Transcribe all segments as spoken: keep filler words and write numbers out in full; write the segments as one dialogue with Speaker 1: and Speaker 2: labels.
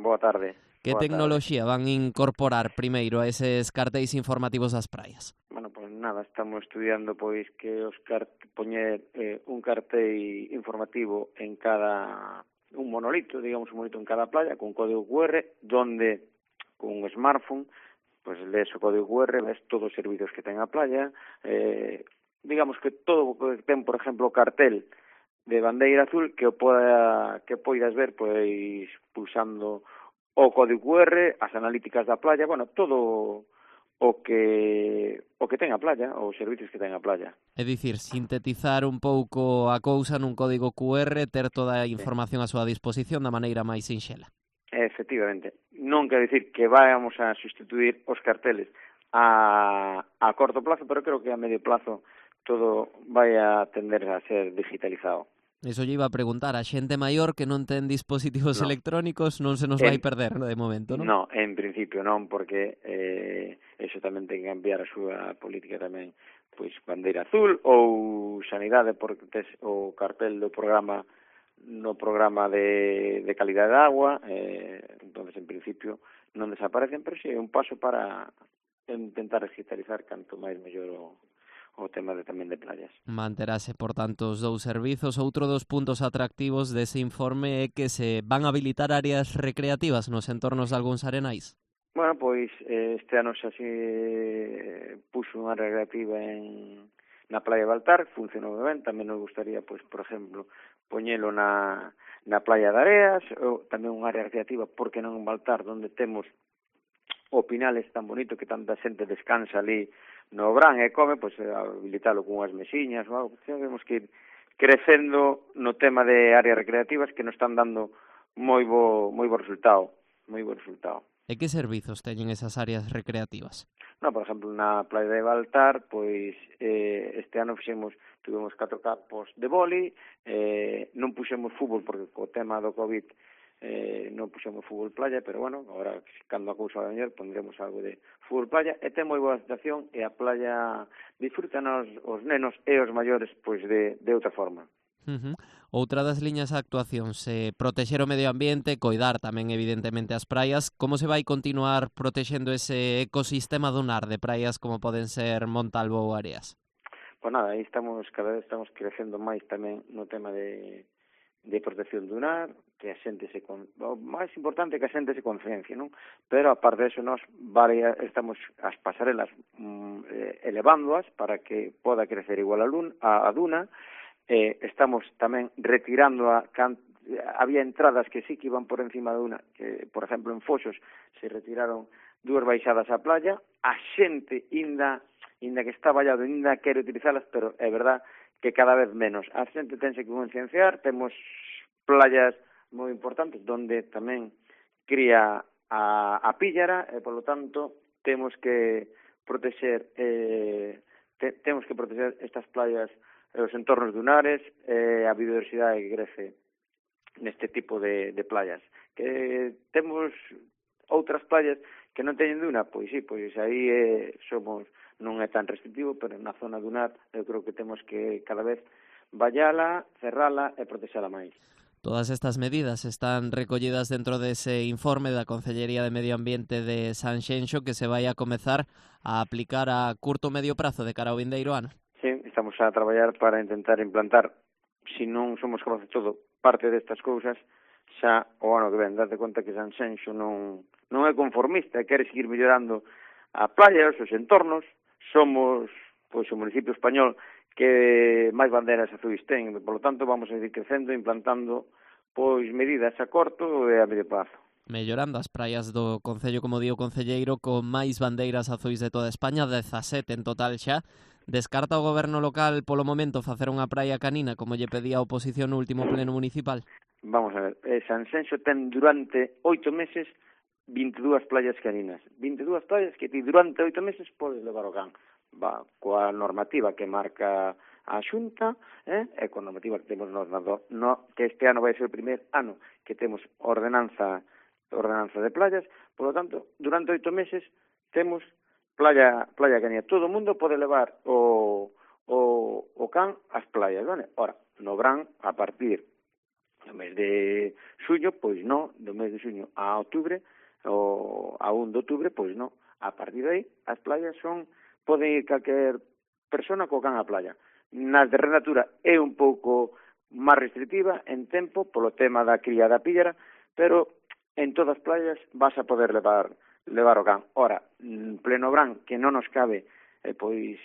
Speaker 1: boa tarde.
Speaker 2: Que
Speaker 1: boa
Speaker 2: tecnoloxía
Speaker 1: tarde.
Speaker 2: van incorporar primeiro a eses cartéis informativos das praias?
Speaker 1: Bueno, pois pues nada, estamos estudiando pois que os cart poñer eh, un cartel informativo en cada un monolito, digamos un monolito en cada playa con código cu erre, donde con un smartphone pois pues, lees o código cu erre, ves todos os servicios que ten a playa, eh, digamos que todo o que ten, por exemplo, o cartel de bandeira azul que o poda, que poidas ver pois pulsando o código cu erre, as analíticas da playa, bueno, todo o que o que ten a playa, os servicios que ten a playa.
Speaker 2: É dicir, sintetizar un pouco a cousa nun código cu erre, ter toda a información a súa disposición da maneira máis sinxela.
Speaker 1: Efectivamente. Non quero dicir que vayamos a sustituir os carteles a, a corto plazo, pero creo que a medio plazo todo vai a tender a ser digitalizado.
Speaker 2: Eso lle iba a preguntar, a xente maior que non ten dispositivos
Speaker 1: no.
Speaker 2: electrónicos non se nos
Speaker 1: en,
Speaker 2: vai perder, no, de momento, non?
Speaker 1: No, en principio non, porque eh, eso tamén ten que cambiar a súa política tamén, pois bandeira azul ou sanidade, porque tes o cartel do programa no programa de, de calidade de agua, eh, entonces en principio non desaparecen, pero si é un paso para intentar digitalizar canto máis mellor o o tema de tamén de playas.
Speaker 2: Manterase, por tanto, os dous servizos. Outro dos puntos atractivos dese informe é que se van habilitar áreas recreativas nos entornos de algúns arenais.
Speaker 1: Bueno, pois eh, este ano xa se puxo unha área recreativa en na playa de Baltar, funcionou ben, tamén nos gustaría, pois, por exemplo, poñelo na, na playa de Areas, ou tamén unha área recreativa, porque non en Baltar, onde temos o Pinales tan bonito que tanta xente descansa ali no Brán e come, pois habilitalo con unhas mesiñas ou algo. Temos que ir crecendo no tema de áreas recreativas que nos están dando moi bo, moi bo resultado, moi bo resultado.
Speaker 2: E que servizos teñen esas áreas recreativas?
Speaker 1: No, por exemplo, na playa de Baltar, pois eh, este ano fixemos, tuvemos catro campos de vóley, eh, non puxemos fútbol porque co tema do COVID eh, non puxemos fútbol playa, pero bueno, agora cando a cousa vai mellor pondremos algo de fútbol playa, e ten moi boa situación e a playa disfrutan os, os nenos e os maiores pois de, de outra forma.
Speaker 2: Uh-huh. Outra das liñas de actuación, se protexer o medio ambiente, coidar tamén evidentemente as praias, como se vai continuar protexendo ese ecosistema dunar de praias como poden ser Montalvo ou Areas?
Speaker 1: Pois nada, aí estamos, cada vez estamos crecendo máis tamén no tema de de protección dunar, que a xente se con... o máis importante é que a xente se conciencia, non? Pero aparte de eso, nós varias, estamos as pasarelas mm, elevándoas para que poda crecer igual a, lun, a, a duna, eh, estamos tamén retirando a can... había entradas que sí que iban por encima da duna, que, por exemplo, en Foxos se retiraron dúas baixadas á playa, a xente inda, inda que está vallado, inda quere utilizalas, pero é verdad que cada vez menos. A xente tense que concienciar, temos playas moi importantes donde tamén cría a, a píllara e, polo tanto, temos que protexer eh, te, temos que protexer estas playas, os entornos dunares, eh, a biodiversidade que crece neste tipo de, de playas. Que temos outras playas que non teñen duna, pois sí, pois aí eh, somos non é tan restrictivo, pero na zona dunar eu creo que temos que cada vez vallala, cerrala e protexala máis.
Speaker 2: Todas estas medidas están recollidas dentro dese informe da Concellería de Medio Ambiente de Sanxenxo que se vai a comezar a aplicar a curto medio prazo de cara ao vindeiro ano.
Speaker 1: Sí, estamos a traballar para intentar implantar, se non somos capaces de todo, parte destas cousas xa o ano que ven. Date conta que Sanxenxo non, non é conformista, quere seguir mellorando a playa, os seus entornos. Somos pois o municipio español que máis bandeiras azuis ten, por lo tanto vamos a seguir crecendo, implantando pois medidas a corto e a medio prazo.
Speaker 2: Mellorando as praias do Concello, como di o concelleiro, con máis bandeiras azuis de toda España, dezasete en total xa. Descarta o goberno local polo momento facer unha praia canina como lle pedía a oposición no último pleno municipal?
Speaker 1: Vamos a ver, eh, Sanxenxo ten durante oito meses vinte e dúas playas caninas. vinte e dúas playas que ti durante oito meses podes levar o can. Va, coa normativa que marca a Xunta, eh, e coa normativa que temos nos, no, que este ano vai ser o primer ano que temos ordenanza ordenanza de playas, por lo tanto, durante oito meses temos playa playa canina. Todo o mundo pode levar o, o, o can ás playas, vale? Ora, no verán, a partir No mes de xuño, pois non, do mes de xuño a outubro, ou a un de outubro, pois non. A partir de aí, as playas son, poden ir calquer persona co can á playa. Nas de Renatura é un pouco máis restrictiva en tempo, polo tema da cría da píllara, pero en todas as playas vas a poder levar levar o can. Ora, en pleno verán, que non nos cabe eh, pois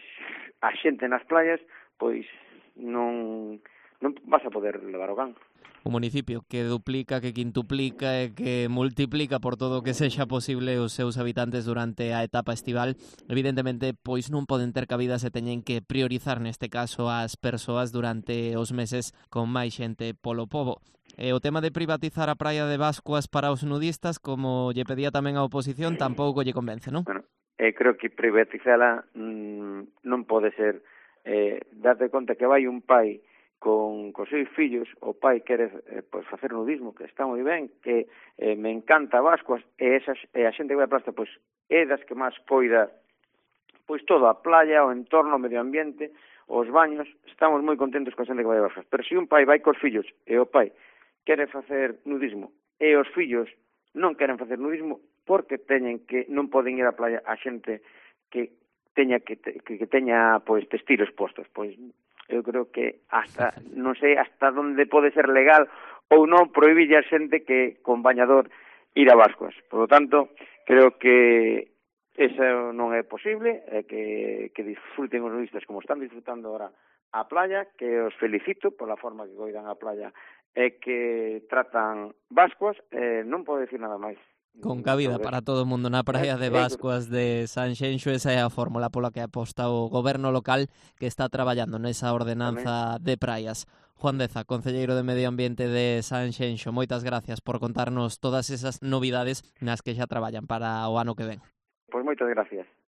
Speaker 1: a xente nas playas, pois non non vas a poder levar o can.
Speaker 2: Un municipio que duplica, que quintuplica e que multiplica por todo o que sexa posible os seus habitantes durante a etapa estival, evidentemente, pois non poden ter cabida se teñen que priorizar neste caso as persoas durante os meses con máis xente polo pobo. E o tema de privatizar a praia de Bascuas para os nudistas, como lle pedía tamén a oposición, tampouco lle convence, non?
Speaker 1: Bueno, eh, creo que privatizala mmm, non pode ser. Eh, date conta que vai un pai con cos seus fillos, o pai quere eh, pois facer nudismo, que está moi ben, que eh, me encanta Bascuas, e, esas, e a xente que vai a plasta, pois é das que máis coida pois todo, a playa, o entorno, o medio ambiente, os baños, estamos moi contentos coa xente que vai a Bascuas. Pero se un pai vai cos fillos e o pai quere facer nudismo e os fillos non queren facer nudismo, porque teñen que non poden ir á playa a xente que teña que, que, que teña pois textiles postos, pois eu creo que hasta, non sei hasta onde pode ser legal ou non prohibir a xente que con bañador ir a Bascuas. Por lo tanto, creo que eso non é posible, é que, que disfruten os nudistas como están disfrutando ahora a playa, que os felicito pola forma que coidan a playa e que tratan Bascuas, eh, non podo decir nada máis.
Speaker 2: Con cabida para todo o mundo na praia de Bascuas de Sanxenxo, esa é a fórmula pola que aposta o goberno local que está traballando nesa ordenanza de praias. Juan Deza, concelleiro de Medio Ambiente de Sanxenxo, moitas gracias por contarnos todas esas novidades nas que xa traballan para o ano que ven.
Speaker 1: Pois moitas gracias.